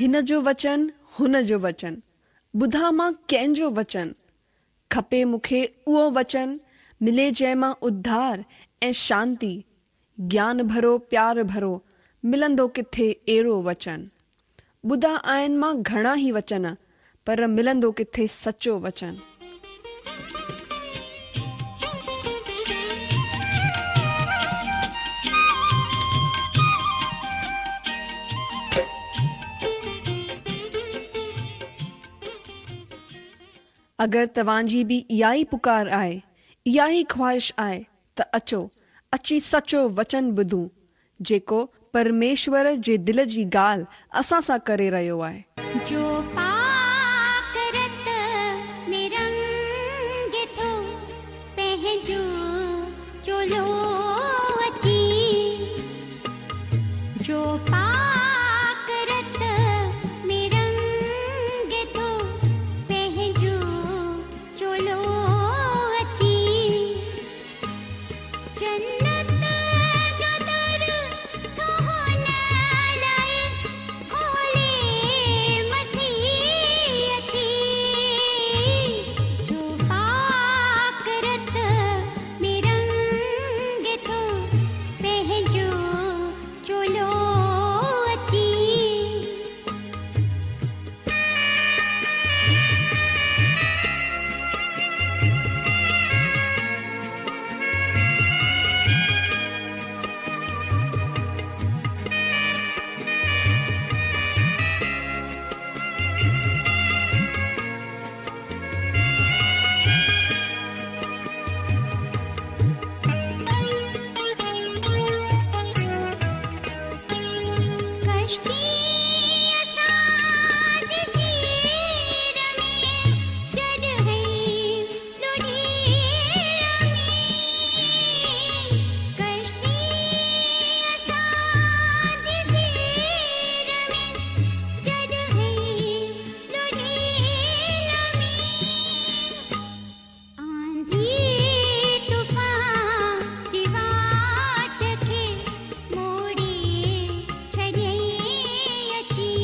هن جو وچن، هن جو وچن، ٻڌان مان ڪنهن جو وچن؟ کپي مون کي اهو وچن، ملي جنهن مان اڌار ۽ شانتي، گيان ڀرو پيار ڀرو، ملندو ڪٿي اهڙو وچن؟ ٻڌا آهن مان گهڻا ئي وچن، پر ملندو ڪٿي سچو وچن؟ اگر توهان جي به اها ئي پڪار آهي، اها ئي خواهش آهي ته اچو، اچي سچو وچن ٻڌون، جيڪو پرميشور جي دل جي ڳالهه اسان سان ڪري رهيو آهي. جو پاڪ رت ۾ رنگي ٿو پنهنجو چولو اچي جو پاڪ رت ۾ رنگي ٿو پنهنجو چولو اچي جنت جو در ٿو هن لاء کولي مسيح اچي جو پاڪ رت ۾ رنگي ٿو پنهنجو چولو اچي. ڪشتي اسان جي سير ۾ جڏهن لڙهي ۾ ڪشتي اسان جي سير ۾ جڏهن لڙهي ۾. آنڌي طوفان جي واٽ کي موڙي ڇڏيائين اچي.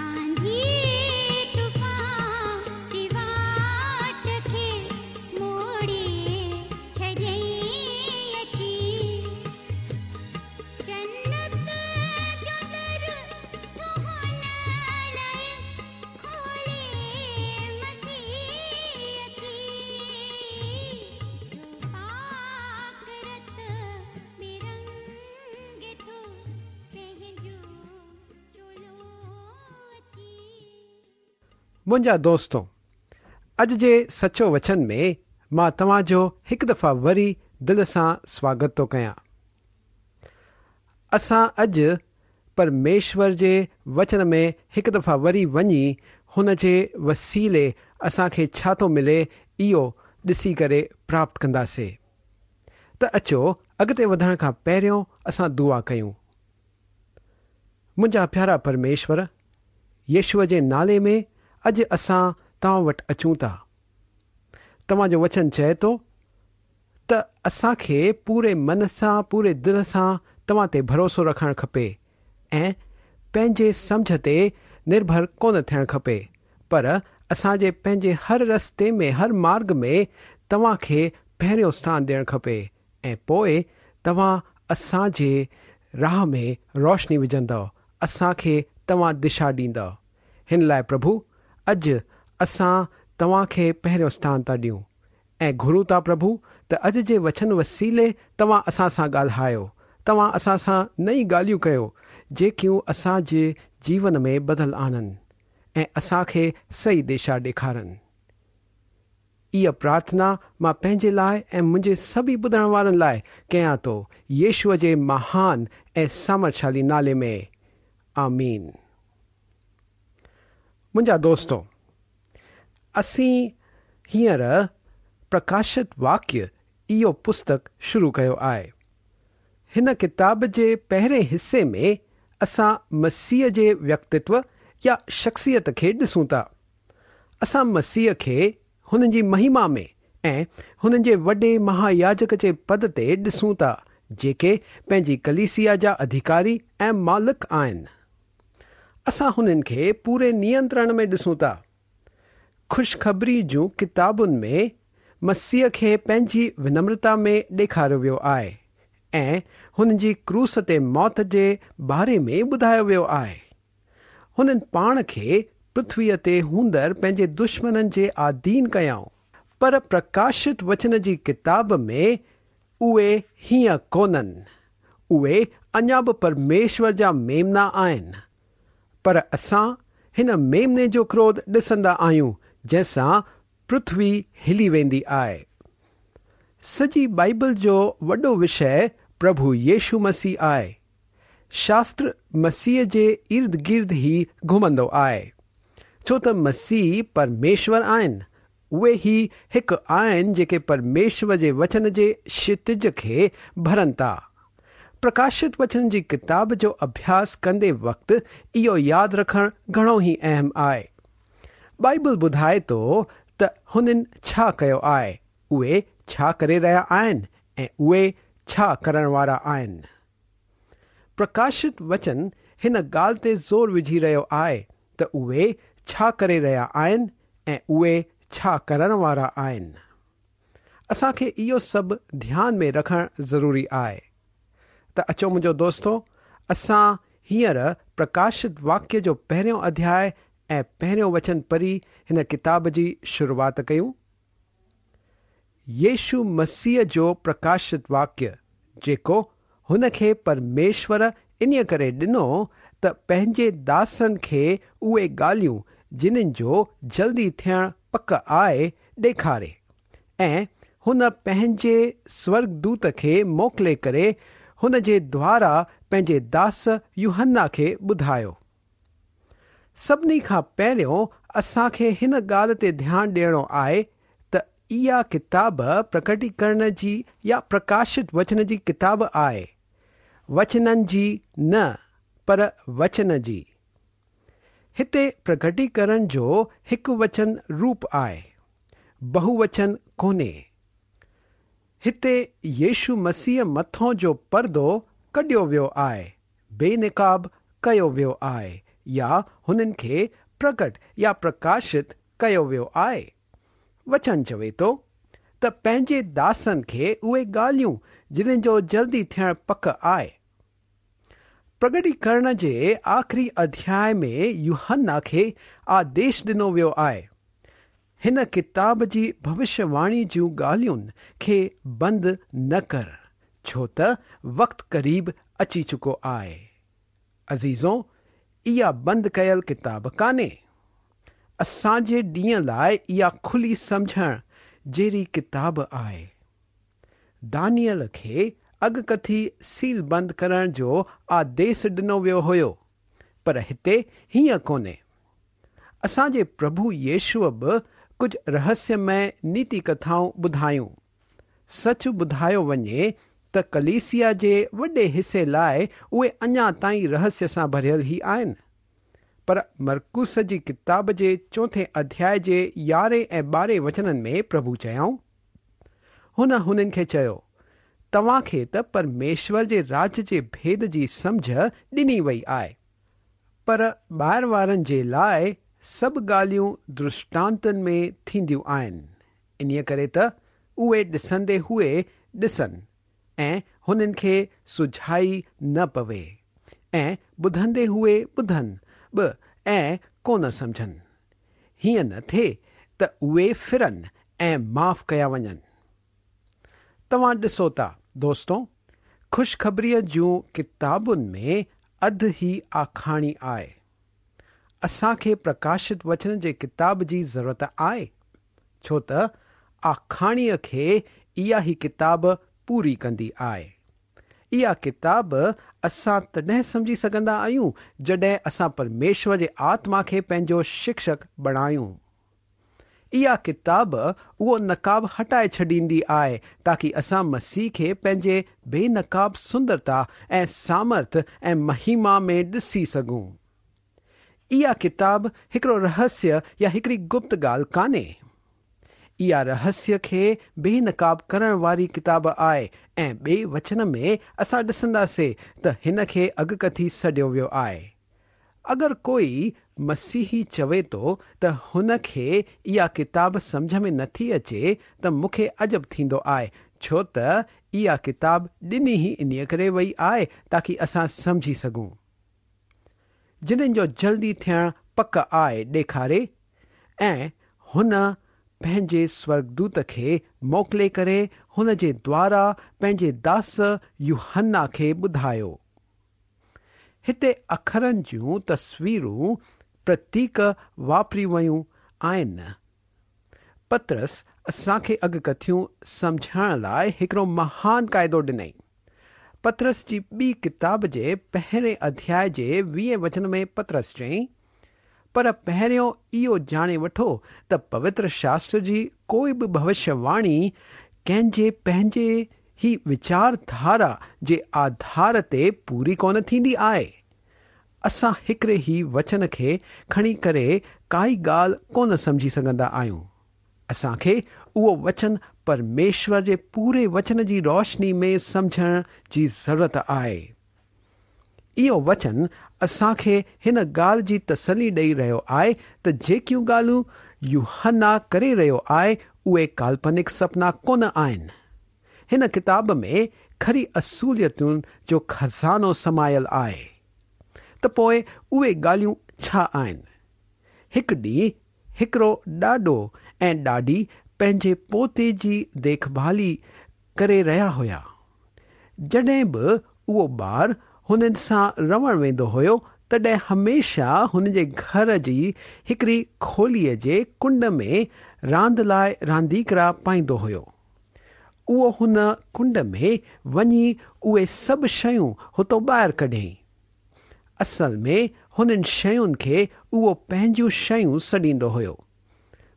آنڌي طوفان جي واٽ کي موڙي ڇڏيائين اچي. جنت جو در ٿو هن لاء کولي مسيح اچي. جو پاڪ رت ۾ رنگي ٿو پنهنجو چولو اچي. منهنجا دوستو! اڄ جي سچو وچن ۾ مان توهان جو هڪ دفعا وري دل سان سواگت ٿو ڪيان. اسان اڄ پرميشور جي وچن ۾ هڪ دفعا وري وڃي هن جي وسيلي اسان کي ڇا ٿو ملي اهو ڏسي ڪري پراپت ڪنداسي. ته اچو اڳتي وڌڻ کان پهريون اسان دعا ڪيون. منهنجا پيارا پرميشور، يشوع جي نالي ۾ اڄ اسان توهان وٽ اچون ٿا. توهان جو وچن چئي ٿو ته اسان کي پوري من سان پوري دل سان توهان تي ڀروسو رکڻ کپي ۽ پنهنجي سمجهه تي نرڀر ڪونه ٿيڻ کپي پر اسان جي پنهنجي هر رستي ۾ هر مارگ ۾ توهان کي پهريون اسٿان ڏيڻ کپي ۽ پوء توهان اسان جي راهه ۾ روشني وجهندؤ اسان کي توهان دشا ڏيندؤ هن لاء پرڀو اڄ اسان توهان کي پهريون اسٿان ٿا ڏيون ۽ گهرون ٿا پرڀو ته اڄ جي وچن وسيلي توهان اسان سان ڳالهايو، توهان اسان سان نئين ڳالهيون ڪيو جيڪيون اسان جي جيون ۾ بدل آڻن ۽ اسان کي صحيح دشا ڏيکارن. اها پرارٿنا مان پنهنجي لاء ۽ منهنجي سڀئي ٻڌڻ وارن لاء ڪيان ٿو يشوع جي مهان ۽ سامرٿشالي نالي ۾. آمين. منهنجا دوستو! اسين هينئر پرڪاشت واڪيه اهو پستڪ شروع ڪيو آهي. هن ڪتاب جي پهرين حصي ۾ اسان مسيح جي ويڪتتو يا شخصيت کي ڏسون ٿا. اسان مسيح کي هن جي مهما ۾ ۽ هن جي وڏي مهاياجڪ جي پد تي ڏسون ٿا جيڪي پنهنجي ڪليسيا جا اڌيڪاري ۽ مالڪ آهن. اسان هنن کي پوري نينترڻ ۾ ڏسون ٿا. خوشخبري جون ڪتابن ۾ مسيح کي پنهنجي ونمرتا ۾ ڏيکاريو ويو آهي ۽ هن جي ڪروس تي موت جي باري ۾ ٻڌايو ويو آهي. هنن پاڻ کي پرٿويء تي هوندڙ پنهنجي دشمنن جي آڌين ڪيائون. پر پرڪاشت وچن جي ڪتاب ۾ اهي هيئن ڪونهن. اهي اڃا به پرميشور جا ميمنا آهن. پر اسان هن ميمني جو ڪروڌ ڏسندا آهيون جنهن سان پرٿوي هلي ويندي آهي. سڄي بائيبل جو وڏو وشيه پرڀو يشو مسيح آهي. شاستر مسيح جي ارد گرد ئي گهمندو آهي. ڇو ته مسيح پرميشور آهن. اهي ئي هڪ آهن جيڪي پرميشور جي وچن جي ڪشتج کي ڀرن ٿا. پرڪاشت وچن جي ڪتاب جو اڀياس ڪندي وقت اهو ياد رکڻ گهڻو ئي اهم آهي. بائيبل ٻڌائي ٿو ته هنن ڇا ڪيو آهي، اهي ڇا ڪري رهيا آهن ۽ اهي ڇا ڪرڻ وارا آهن. پرڪاشت وچن هن ڳالهه تي زور وجهي رهيو آهي ته اهي ڇا ڪري رهيا آهن ۽ اهي ڇا ڪرڻ وارا آهن. اسان کي اهو سڀ ڌيان ۾ رکڻ ضروري آهي. ته اچو منهنجو دوستو اسان هينئر پرڪاشت واڪيه جو پهريون اڌياء ۽ پهريون وچن پڙهي هن ڪتاب جي شروعات ڪيون. يشو مسيح جو پرڪاشت واڪيه، جيڪو هن کي پرميشور انهيء ڪري ڏنو ته پنهنجي داسن کي اهي ڳالهيون جنن جو جلدي ٿيڻ پڪ آهي، ڏيکاري ۽ هن پنهنجي سورڳدوت کي موڪلي ڪري هن جي دوارا پنهنجي داس يوحنا کي ٻڌايو. سڀني کان پهريون اسان کي هن ڳالهه تي ڌيان ڏيڻو آهي ته اها ڪتاب پرڪٽيڪرڻ جي يا پرڪاشت وچن جي ڪتاب آهي، وچنن جي نه پر وچن جي. هتي پرڪٽيڪرڻ جو هڪ وچن روپ آهي، بهووچن ڪونهي. هتي يشو مسيح مٿون جو پردو ڪڍيو ويو آهي، بي نقاب ڪيو ويو آهي يا هنن کي پرگٽ يا پرڪاشت ڪيو ويو آهي. وچن چوي ٿو ته پنهنجي داسن کي اهي ڳالهيون جنن جو جلدي ٿيڻ پڪ آهي. پرگٽيڪرڻ جي آخري اڌياء ۾ يوحنا کي آديش ڏنو ويو آهي. هن ڪتاب جي ڀوشيه واڻي جون ڳالهين کي بند نه ڪر، ڇو ته وقت قريب اچي چڪو آهي. عزيزو، اها بند ڪيل ڪتاب ڪانهي. اسان جي ڏينهن لاء اها کلي سمجهڻ جهڙي ڪتاب آهي. دانيئل کي اڳڪٿي سيل بند ڪرڻ جو آديس ڏنو ويو هيو، پر هتي هيئن ڪونهي. اسان جي پرڀو يشوع به ڪجهه رهسيمئي نيتي ڪٿائون ٻڌايون. سچ ٻڌايو وڃي ته ڪليسيا جي وڏي حصي لاء اهي اڃا تائين رهسيه سان ڀريل ئي آهن. پر مرقس جي ڪتاب جي چوٿين اڌياء جي يارهين ۽ ٻارهين وچنن ۾ پرڀو چيائون، هن هنن کي چيو، توهان کي ته پرميشور جي راڄ جي ڀيد جي سمجهه ڏني وئي آهي. پر ٻاهر وارن جي لاء سڀ ڳالهيون درشٽانتن ۾ ٿينديون آهن، انهيء ڪري ته اهي ڏسندي هوئي ڏسن ۽ هنن کي سجهائي نه پوي، ۽ ٻڌندي هوئي ٻڌن به ۽ ڪونه سمجهن. هيئن نه ٿئي ته اهي ڦرن ۽ معاف ڪيا وڃن. توهان ڏسو ٿا دوستو خوشخبريء جون ڪتابن ۾ اڌ هي آکاڻي آهي. اسان کي پرڪاشت وچن جي ڪتاب جي ضرورت آهي ڇو ته آکاڻيء کي اها هي ڪتاب پوري ڪندي آهي. اها ڪتاب اسان تڏهن سمجهي سگهندا آهيون جڏهن اسان پرميشور جي آتما کي پنهنجو شڪشڪ بڻايون. اها ڪتاب اهو نقاب هٽائي ڇڏيندي آهي تاڪي اسان مسيح کي پنهنجي بي نقاب سندرتا ۽ سامرٿ ۽ مهيما ۾ ڏسي سگهون. اها ڪتاب هڪڙو رهسيه يا هڪڙي گپت ڳالهه ڪانهي. اها رهسيه کي بي نقاب ڪرڻ واري ڪتاب آهي ۽ ٻئي وچن ۾ اسان ڏسنداسي ته هن کي اڳڪٿي سڏيو ويو آهي. اگر ڪوئي مسيحي چوي ٿو ته هن کي اها ڪتاب سمجهه ۾ نٿي اچي ته مون کي عجب ٿيندو آهي ڇو ته اها ڪتاب ڏني ئي انهيء ڪري وئي آهي تاڪي اسان سمجهي سگهون. جنن جو جلدي ٿيڻ پڪ آهي ڏيکاري ۽ هن پنهنجي سورڳدوت کي موڪلي ڪري هن جي دوارا پنهنجي داس يوحنا کي ٻڌايو. هتي اکرن جون تصويرون، پرتيڪ، واپريون ويون آهن. پطرس اسان کي اڳڪٿيون سمجهڻ لاء هڪڙو مهان قاعدو ڏنائين. پطرس جي ٻي ڪتاب جي پهرين اڌياء جي ويهين وچن ۾ پطرس چيائين، پر پهريون اهو ڄاڻي وٺو ته پوتر شاستر جي ڪوئي به ڀوشيه واڻي ڪنهن جي پنهنجي ئي ويچار ڌارا جي آڌار تي پوري ڪونه ٿيندي آهي. اسان هڪڙي ئي وچن کي کڻي ڪري ڪائي ڳالهه ڪونه سمجهي سگهندا آهيون. اسان کي اهو وچن پرميشور جي پوري وچن جي روشني ۾ سمجهڻ جي ضرورت آهي. اهو وچن اسان کي هن ڳالهه جي تسلي ڏئي رهيو آهي ته جيڪيون ڳالهيون يوحنا ڪري رهيو آهي اهي ڪالپنڪ سپنا ڪونه آهن. هن ڪتاب ۾ کري اصوليتن جو خزانو سمايل آهي. ته پوء اهي ڳالهيون ڇا آهن؟ هڪ ڏينهن هڪڙو ڏاڏو ۽ ڏاڏي پنهنجي پوتي جي ديکڀالي ڪري رهيا هيا. جڏهن به اهو ٻار هنن سان رهڻ ويندو هيو، تڏهن هميشه هن جي گهر جي هڪڙي کوليء جي ڪنڊ ۾ راند لاء رانديڪڙا پائيندو هيو. اهو هن ڪنڊ ۾ وڃي اهي سڀ شيون هتو ٻاهر ڪڍيائين. اصل ۾ هنن شين کي اهو پنهنجون شيون سڏيندو هيو.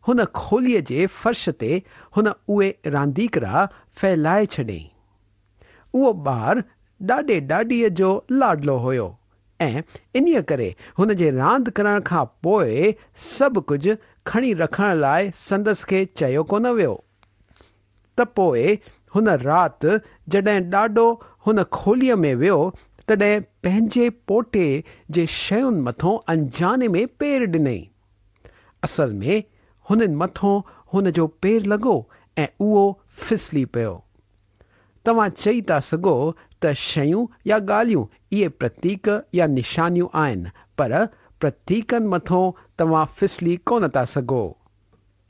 هن کوليء جي فرش تي هن اهي رانديڪڙا ڦهلائي ڇڏيائين. اهو ٻار ڏاڏي ڏاڏيء جو لاڏلو هيو ۽ انهيء ڪري هن جي راند ڪرڻ کان پوء سڀ ڪجهه کڻي رکڻ لاء سندس کي چيو ڪونه ويو. ته پوء هن رات جڏهن ڏاڏو هن کوليء ۾ ويو تڏهن پنهنجي پوٽي جي شين مٿون انجاني ۾ پير ڏنائين. اصل ۾ هنن مٿون هن جو پير لڳو ۽ اهو ڦسلي پيو. توهان چئي ٿا سگهو ته شيون يا ڳالهيون اهي پرتيڪ يا نشانيون آهن پر پرتيڪن مٿون توهان ڦسلي ڪونه ٿا سگهو.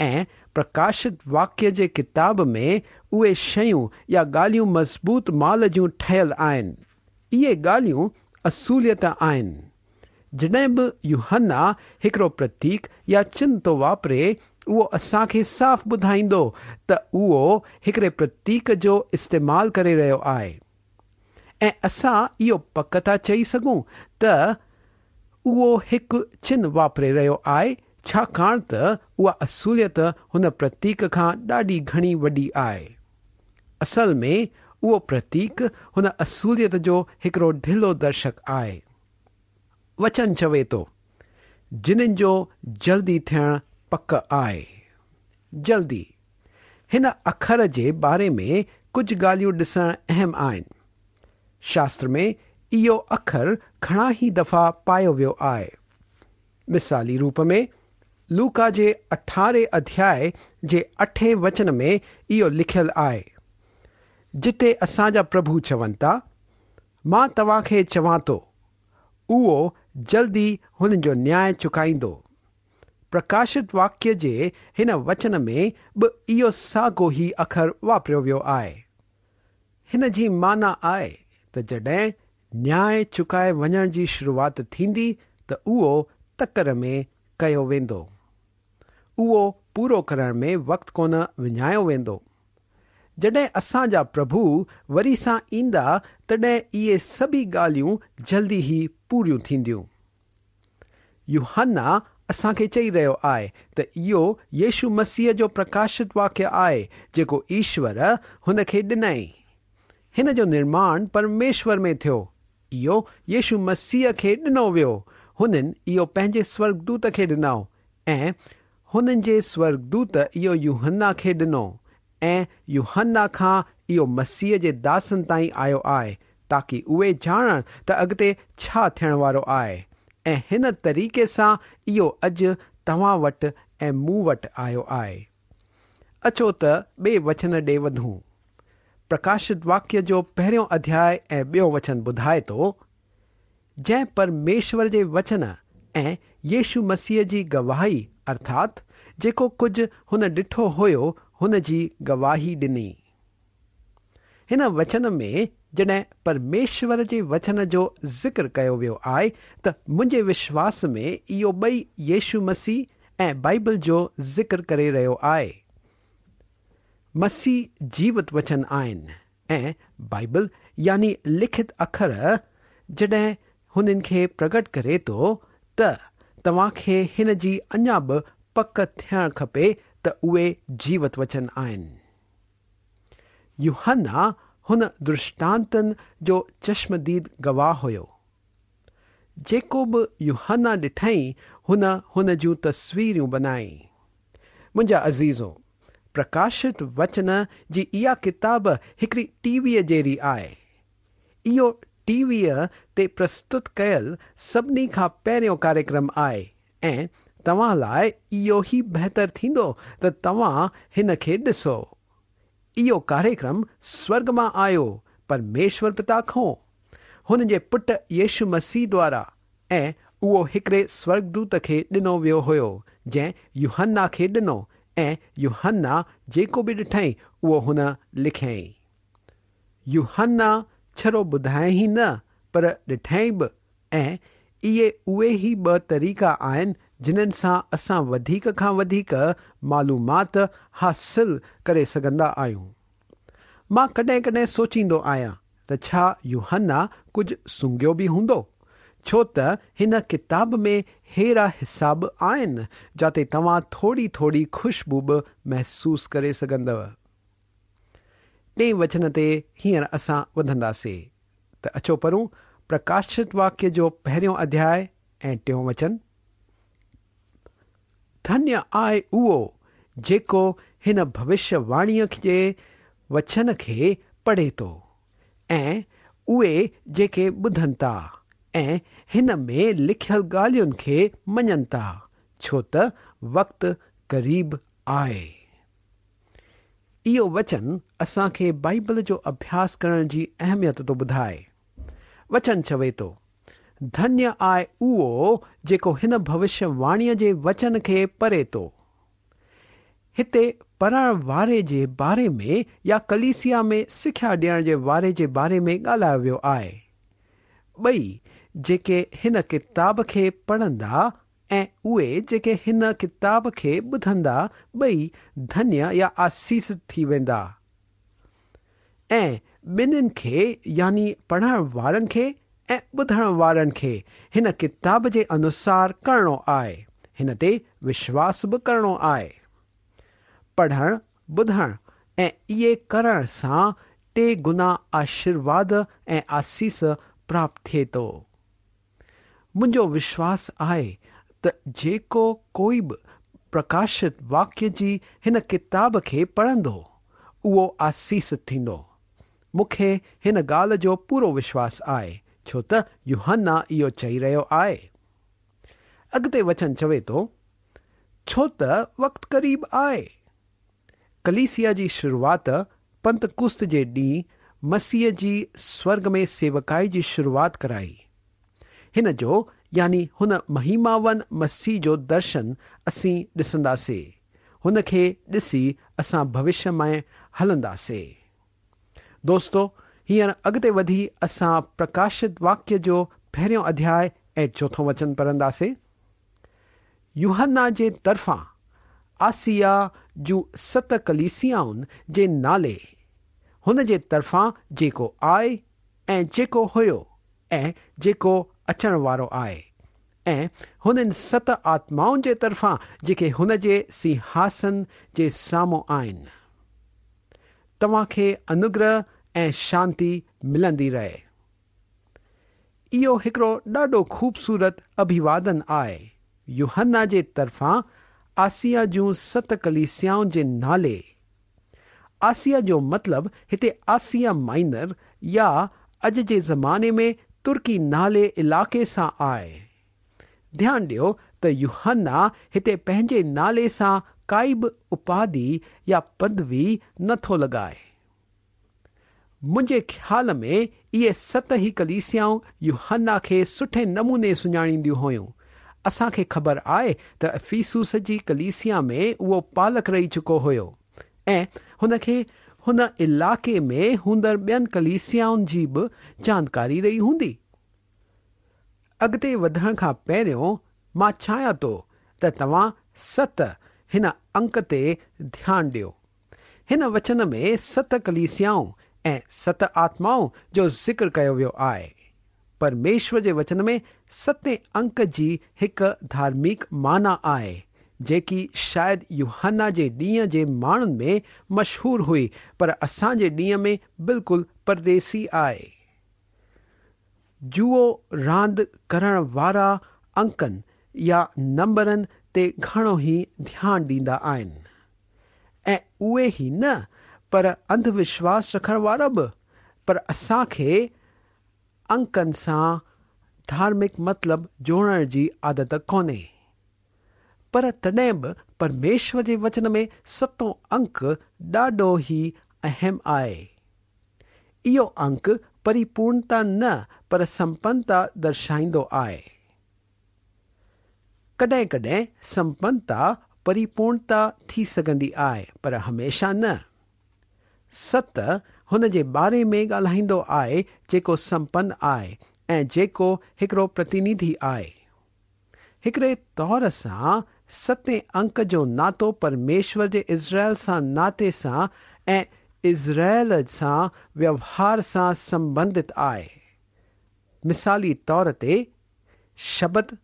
۽ پرڪاشت واڪيه جي ڪتاب ۾ اهي شيون يا ڳالهيون مضبوط مال جون ٺهيل آهن. اهي ڳالهيون اصوليت آهن. جڏهن به يوحنا هڪڙو پرتيڪ يا چن ٿو واپري، اهو اسان کي صاف ٻڌائيندو ته اهو هڪڙي پرتيڪ جو استعمال ڪري رهيو آهي. ۽ اسان اهو پڪ ٿا چئي سگهون ته اهو هڪ چن واپري رهيو آهي ڇاڪاڻ ته اها اصوليت هن پرتيڪ کان ڏاڍي گهڻي وڏي آهي. اصل ۾ اهو پرتيڪ هن اصوليت جو هڪڙو ڍلو درشڪ آهي. وچن چوي ٿو، جنن جو جلدي ٿيڻ پڪ آهي. جلدي. هن اکر جي باري ۾ ڪجهه ڳالهيون ڏسڻ اهم آهن. شاستر ۾ اهو اکر گهڻا ئي دفعا پايو ويو آهي. مثالي روپ ۾ لوڪا جي اٺارهين اڌياء جي اٺين وچن ۾ اهو لکيل آهي، جتي اسان جا پرڀو چون ٿا، مان توهان کي چوان ٿو، اهو جلدي هن جو نياء چڪائيندو. پرڪاشت واڪيه جي هن وچن ۾ به اهو ساڳو ئي اکر واپريو ويو آهي. هن جي معنيٰ آهي ته جڏهن نياء چڪائي وڃڻ جي شروعات ٿيندي ته اهو تڪڙ ۾ ڪيو ويندو. اهو پورو ڪرڻ ۾ وقت ڪونه وڃايو ويندو. جڏهن اسان جا پرڀو وري سان ايندا تڏهن اهي سڀئي ڳالهيون جلدي ئي پوريون ٿينديون. يوحنا اسان کي چئي رهيو آهي ته اهو يسوع مسيح جو پرڪاشت واڪيه آهي جيڪو ايشور هن کي ڏنائين. هن جو نرماڻ پرميشور ۾ ٿيو. اهو يسوع مسيح کي ڏنو ويو. هنن اهو پنهنجي سورڳدوت کي ڏنو ۽ هنن جي سورڳدوت اهو يوحنا کي ڏنو ۽ يوحنا کان اهو مسيح جي داسن تائين آيو آهي، تاڪي اهي ڄاڻن ته اڳتي ڇا ٿيڻ وارو آهي. ۽ هن طريقي سان اهو اڄ توهان وٽ ۽ مون وٽ آيو آهي. اچو ته ٻئي وچن ڏي وڌون. پرڪاشت واڪيه جو پهريون اڌياء ۽ ٻيون وچن ٻڌائي ٿو، جنهن پرميشور جي وچن ۽ يشو مسيح جي گواهي ارٿات جيڪو ڪجهه هن ڏٺو هيو هن جي گواهي ڏني. هن وچن ۾ جڏهن پرميشور جي وچن جو ذڪر ڪيو ويو آهي ته منهنجي وشواس ۾ اهو ٻئي يشو مسيح ۽ بائيبل جو ذڪر ڪري رهيو آهي. مسيح جيوت وچن آهن ۽ بائيبل يعني لکت اکر جڏهن هنن کي پرگٽ ڪري ٿو ته توهان کي هن جي اڃا به پڪ ٿيڻ کپي ته اهي جيوت وچن آهن. يوحنا هن درشٽانتن جو چشمديد گواهه هيو. جيڪو به يوحنا ڏٺائين هن هن جون تصويرون بنائي. منهنجا عزيزو! پرڪاشت وچن جي اها ڪتاب هڪڙي ٽي ويء جهڙي آهي. اهو ٽي ويء تي پرستت ڪيل سڀني کان پهريون ڪاريڪرم آهي ۽ توهان لاء اهو ئي بهتر ٿيندو ته توهان هن کي ڏسو. اهو ڪاريڪرم سورڳ مان آيو پرميشور پتا کون، هن جي پٽ يشو مسيح دوارا ۽ اهو هڪڙي سورڳدوت کي ڏنو ويو هيو جنهن يوحنا کي ڏنو ۽ يوحنا جيڪو به ڏٺائين اهو هن لکيائين. يوحنا ڇڙو ٻڌائين ئي نه پر ڏٺائين به ۽ اهي اهي ئي ٻه طريقا آهن جنهن سان اسان وڌيڪ کان وڌيڪ معلومات حاصل ڪري سگهندا آهيون. مان ڪڏهن ڪڏهن سوچيندو آهيان ته ڇا يوحنا ڪجهه سونگهيو به هوندو؟ ڇو ته هن ڪتاب ۾ ههڙا حصا به آهن جاتي توهان ٿوري ٿوري خوشبو به محسوس ڪري سگهندؤ. ٽئين وچن تي هينئر اسان وڌنداسي ته اچو پڙهون پرڪاشت واڪيه جو پهريون اڌياء ۽ ٽيون وچن. ڌنيه آهي اهو جيڪو هن ڀوشيه واڻيء جي وچن کي پڙهي ٿو ۽ اهي جيڪي ٻڌن ٿا ۽ هن ۾ لکيل ڳالهين کي مڃن ٿا، ڇو ته وقت قريب آهي. اهو وچن اسان کي بائيبل جو اڀياس ڪرڻ جي اهميت ٿو ٻڌائي. وچن چوي ٿو، ڌنيه آهي اهو جيڪو هن ڀوشيه واڻيء جي وچن کي پڙهي ٿو. هتي پڙهڻ واري جي باري ۾ يا ڪليسيا ۾ سکيا ڏيڻ جي واري جي باري ۾ ڳالهايو ويو آهي. ٻئي جيڪي هن ڪتاب کي پڙهندا ۽ اهي جيڪي هن ڪتاب کي ٻڌندا ٻئي ڌنيه يا آسيست ٿي ويندا. ۽ ٻنهين کي يعني پڙهڻ وارن کي ۽ ٻڌڻ وارن کي هن ڪتاب جي انوسار ڪرڻو آهي، هن تي وشواس به ڪرڻو آهي. پڙهڻ، ٻڌڻ ۽ اهي ڪرڻ سان ٽي گنا آشيرواد ۽ آسيس پراپت ٿئي ٿو. منهنجو وشواس آهي ته جيڪو ڪوئي به پرڪاشت واڪيه جي هن ڪتاب کي پڙهندو، اهو آسيست ٿيندو. مون کي هن ڳالهه جو پورو وشواس آهي، ڇو ته يوحنا اهو چئي رهيو آهي. اڳتي وچن چوي ٿو، ڇو ته وقت قريب آهي. ڪليسيا جي شروعات پنتقست جي ڏينهن مسيح جي سورڳ ۾ سيوڪائي جي شروعات ڪرائي. هن جو يعني هن مهيماون مسيح جو درشن اسين ڏسنداسي. هن کي ڏسي اسان ڀوشيه ۾ هلنداسي. دوستو هينئر اڳتي وڌي اسان پرڪاشت واڪيه جو پهريون اڌياء ۽ چوٿون وچن پڙهنداسي. يوحنا جي طرفان آسيا جون ست ڪليسيائن جي نالي، هن جي طرفان جيڪو آهي ۽ جيڪو هيو ۽ جيڪو اچڻ وارو آهي، ۽ هنن ست آتمائن جي طرفان جيڪي هن جي سنگهاسن جي سامهون آهن. توهان کي انوگره ۽ شانتي ملندي رهي. اهو هڪڙو ڏاڍو خوبصورت اڀيوادن آهي، يوحنا جي طرفان آسيا جون ست ڪليسيائن جي نالي. آسيا جو مطلب هتي آسيا مائنر يا اڄ جي زماني ۾ ترڪي نالي علائقي سان آهي. ڌيان ڏيو ته يوحنا هتي پنهنجي نالي سان ڪائي به اپاڌي يا پدوي نه ٿو لڳائي. منهنجي خيال ۾ اهي ست ئي ڪليسيائون يوحنا کي سٺي نموني سڃاڻينديون هيون. اسان کي خبر آهي ته افيسوس جي ڪليسيا ۾ اهو پالڪ رهي چڪو هيو ۽ هن کي هن علائقي ۾ هوندڙ ٻين ڪليسيائن جي به جانڪاري رهي هوندي. اڳتي وڌڻ کان پهريون مان چاهيان ٿو ته توهان ست هن انڪ تي ڌيان ڏيو. هن وچن ۾ ست ڪليسيائون ۽ ست آتمائون جو ذڪر ڪيو ويو آهي. پرميشور جي وچن ۾ ستين انڪ جي هڪ ڌارمڪ معنيٰ آهي، جيڪي شايد يوحنا جي ڏينهن جي ماڻهن ۾ مشهور هئي پر اسان جي ڏينهن ۾ بلڪل پرديسي آهي. جوئو راند ڪرڻ وارا انڪن يا نمبرن تي گهڻو ئي ڌيان ڏيندا آهن. ۽ اهي ئي نه پر انڌ وشواس رکڻ وارا به، پر اسان کي انڪن سان ڌارمڪ مطلب جوڙڻ جي عادت ڪونهي. پر تڏهن به پرميشور جي وچن ۾ ستون انڪ ڏاڍو ئي اهم آهي. اهو انڪ پريپورڻتا نه پر سمپنتا درشائيندو آهي. ڪڏهن ڪڏهن سمپنتا پريپورڻتا ٿي سگهندي آهي پر هميشه نه. ست هن جي باري ۾ ڳالهائيندو آهي جيڪو سمپن آهي ۽ جيڪو هڪڙو پرتينڌي آهي. هڪڙي طور سان ستين انڪ جو ناتو پرميشور جي اسرائيل سان ناتي سان ۽ اسرائيل سان ويوهار سان سمبنڌت آهي. مثالي طور تي شبت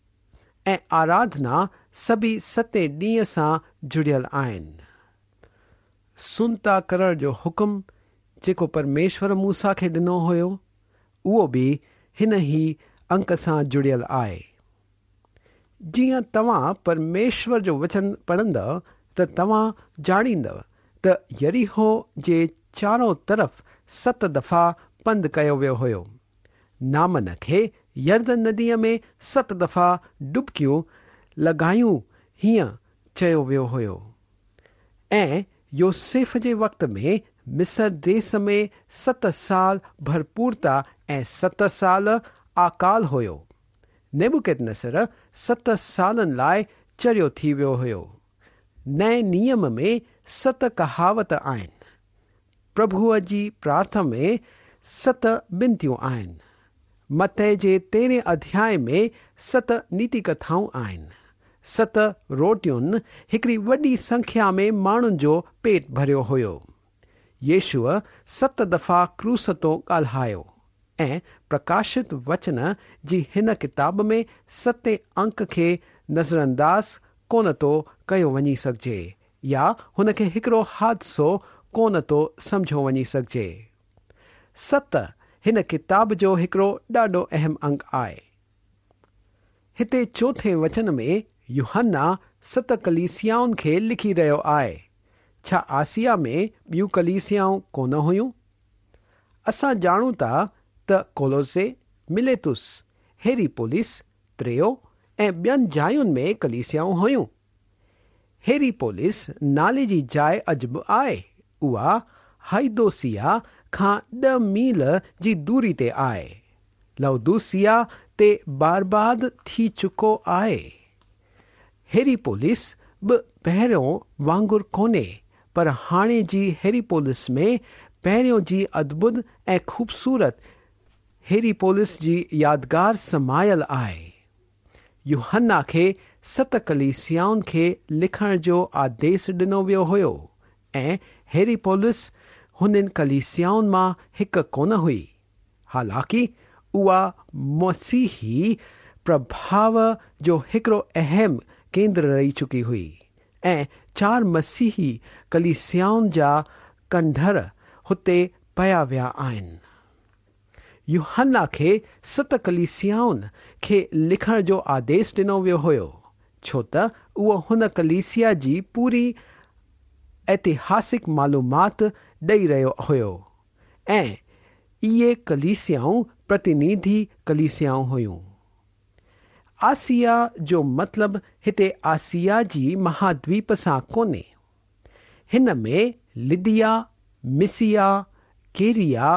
۽ آراڌنا سڀئي ستين ڏينهن سان جڙيل آهن. سنتا ڪرڻ جو حڪم جيڪو پرميشور موسيٰ کي ڏنو هيو، اهو به هن ئي انڪ سان جڙيل آهي. جيئن توهان پرميشور جو وچن پڙهندؤ ته توهان ڄاڻيندؤ ته يريحو جي چارو طرف ست دفعا پنڌ ڪيو ويو هيو. نعمان کي يردن نديء ۾ ست دفعا ڊبڪيون لڳايون هيئن چيو ويو هيو. ۽ يوسيف جي وقت ۾ مصر ديس ۾ ست سال ڀرپورتا ۽ ست سال اڪال هيو. نبوڪدنضر ست سالن لاء چريو ٿي ويو هيو. نئين نيم ۾ ست ڪهاوت آهن. پرڀوء جي پرارٿنا ۾ ست بنتيون آهن. متي جي تيرهين اڌياء ۾ ست نيتي ڪٿائون آهن. ست روٽين هڪڙي وڏي سنکيا ۾ ماڻهن جو پيٽ ڀريو هيو. يشوع ست دفعا ڪروس تون ڳالهايو ۽ پرڪاشت وچن جي هن ڪتاب ۾ ستين انڪ کي نظرانداز ڪونه ٿو ڪيو وڃي سگهجي يا هن کي هڪڙو حادثو ڪونه ٿو سمجهيو وڃي سگهجي. ست هن ڪتاب جو هڪڙو ڏاڍو اهم انگ آهي. هتي چوٿين وچن ۾ يوحنا ست ڪليسيائن کي لکي رهيو آهي. ڇا آسيا ۾ ٻيون ڪليسيائون ڪونه هيون؟ اسان ڄاڻون ٿا ته ڪولوسي، مليتس، هيريپوليس، تريو ۽ ٻين جاين ۾ ڪليسيائون هيون. هيريپوليس نالي جي جاء اڄ به آهي. اها هائيدوسيا کان ڏهه ميل جي دوري تي آهي. لائودوسيا تي برباد ٿي چڪو آهي. هيريپوليس به پهريون وانگر ڪونهي پر هاڻي جي هيريپوليس ۾ پهريون جي ادڀت ۽ خوبصورت هيريپوليس جي يادگار سمايل آهي. يوحنا کي ست ڪليسيائن کي لکڻ جو آديس ڏنو ويو هيو ۽ هيريپولس هنن ڪليسيائن مان هڪ ڪونه هئي. حالانڪ اها مسيحي پرڀاء جو هڪڙو اهم ڪيندر رهي چڪي هئي ۽ چار مسيحي ڪليسيائن جا کنڊر هتي پيا ويا آهن. يوحنا کي ست ڪليسيائن کي لکڻ جو آديس ڏنو ويو هيو، ڇو ته اهو هن ڪليسيا جي پوري ائتهاسڪ معلومات ڏئي رهيو هيو ۽ اهي ڪليسيائون پرتينڌي ڪليسيائون هيون. آسيا جو مطلب هتي آسيا جي مهادويپ سان ڪونهي. هن ۾ لديا، مسيا، ڪيريا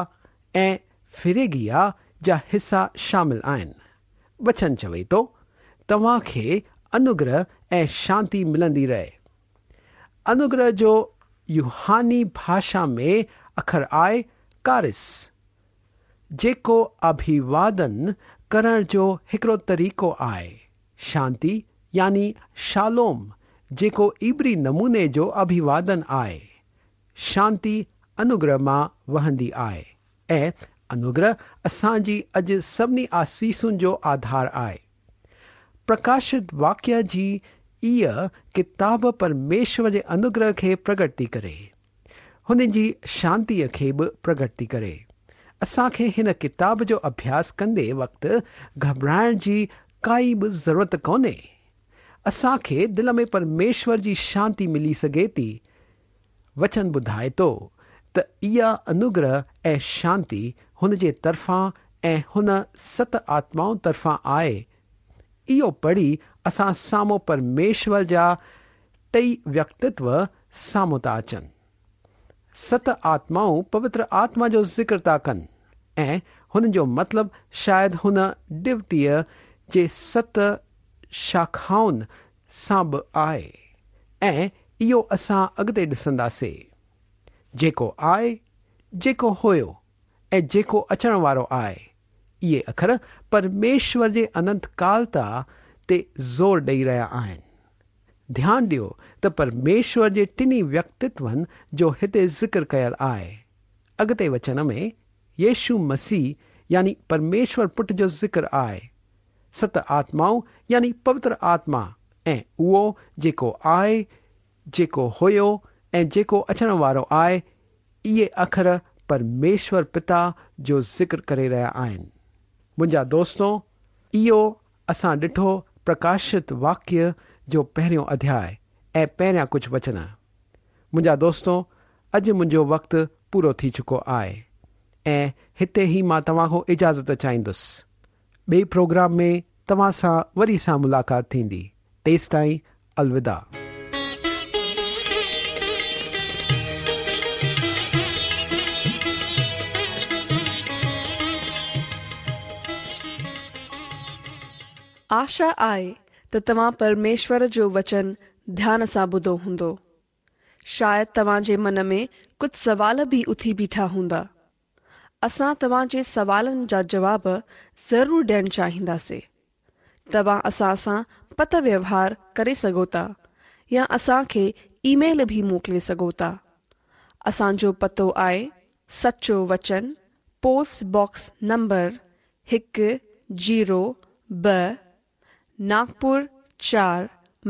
۽ فريگيا جا حصا شامل آهن. وچن چوي ٿو، توهان کي انوگره ۽ شانتي ملندي رهي. انوگره جو يوناني ڀاشا ۾ اکر آهي ڪارس، جيڪو اڀيوادن ڪرڻ جو هڪڙو طريقو آهي. شانتي يعني شالوم جيڪو عبري نموني جو اڀيوادن آهي. شانتي انوگره مان وهندي آهي ۽ انوگره اسان جي اڄ سڀني آسيسن جو آڌار آهي. پرڪاشت واڪيه جي ايء ڪتاب پرميشور جي انوگره کي پرگٽ ٿي ڪري. هن جي شانتيء کي به پرگٽ ٿي ڪري. اسان کي هن ڪتاب جو اڀياس ڪندي وقت گهٻرائڻ جي ڪائي به ضرورت ڪونهي. اسان کي دل ۾ پرميشور جي شانتي ملي سگهي ٿي. وچن ٻڌائي ٿو ته اها انوگره ۽ شانتي هن جي طرفان ۽ هن ست آتمائن طرفان آهي. اهو پڙهي اسان سامهون پرميشور جا ٽئي ويڪتتو سامهون ٿا اچن. ست آتمائون پوتر آتما جو ذڪر ٿا ڪن ۽ هن جو مطلب شايد هن ڏيوٽيء جي ست شاخائن سان به آهي ۽ اهو اسان اڳتي ڏسنداسي. جيڪو آهي، جيڪو هيو ۽ جيڪو اچڻ وارو آهي، اهي اکر پرميشور جي اننت ڪالتا تي زور ڏئي رهيا آهن. ڌيان ڏيو ته پرميشور جي ٽنهي ويڪتتون جو هتي ذڪر ڪيل آهي. اڳتي وچن ۾ يشو مسيح يعني پرميشور پٽ جو ذڪر آهي. ست آتمائون يعني پوتر آتما ۽ اهو جيڪو آهي، جيڪو هيو ۽ جيڪو اچڻ وارو آهي، اهي اکر پرميشور پتا جو ذڪر ڪري رهيا آهن. منهنجا دوستو، اهو اسان ڏٺو پرڪاشت واڪيه جو پهريون اڌياء ۽ پهريان ڪجهه وچن. منهنجا دوستو، اڄ منهنجو وقت پورو ٿي چڪو آهي ۽ هتي ئي مان توهان کان اجازت چاهيندس. ٻئي پروگرام ۾ توهان سان وري سان ملاقات ٿيندي. تيستائين الوداع. آشا آهي ته توهان پرميشور جو وچن ڌيان سان ٻڌو هوندو. شايد توهان جي من ۾ ڪجهه سوال به اٿي بيٺا هوندا. اسان توهان جي سوالن جا جواب ضرور ڏيڻ چاهينداسين. توهان اسان سان پتر ويوهار ڪري سگهو ٿا يا اسان کي اي ميل به موڪلي سگهو ٿا. اسان جو پتو آهي سچو وچن پوسٽ باڪس نمبر هڪ زيرو ٻه ناگپور چار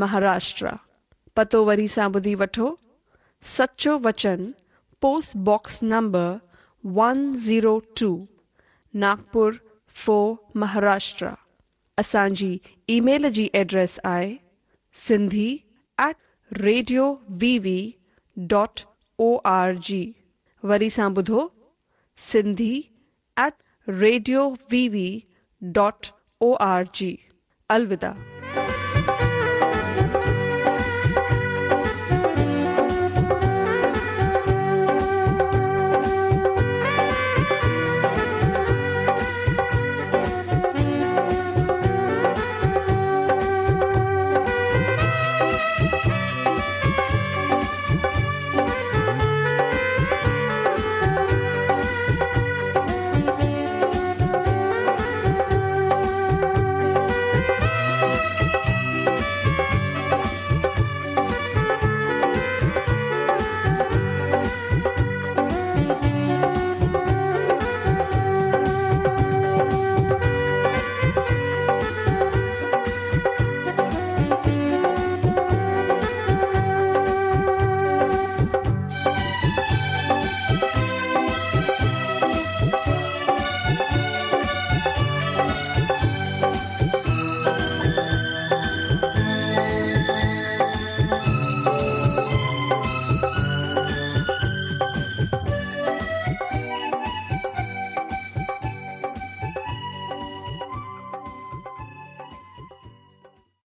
مهاراشٽرا. پتو وري سان ٻڌي وٺو سچو وچن post box number one zero two Nagpur four Maharashtra. اسان جي اي ميل جي ايڊريس آهي Sindhi at radio V V dot O R G وري سان ٻڌو Sindhi at radio V V dot O R G. الوداع.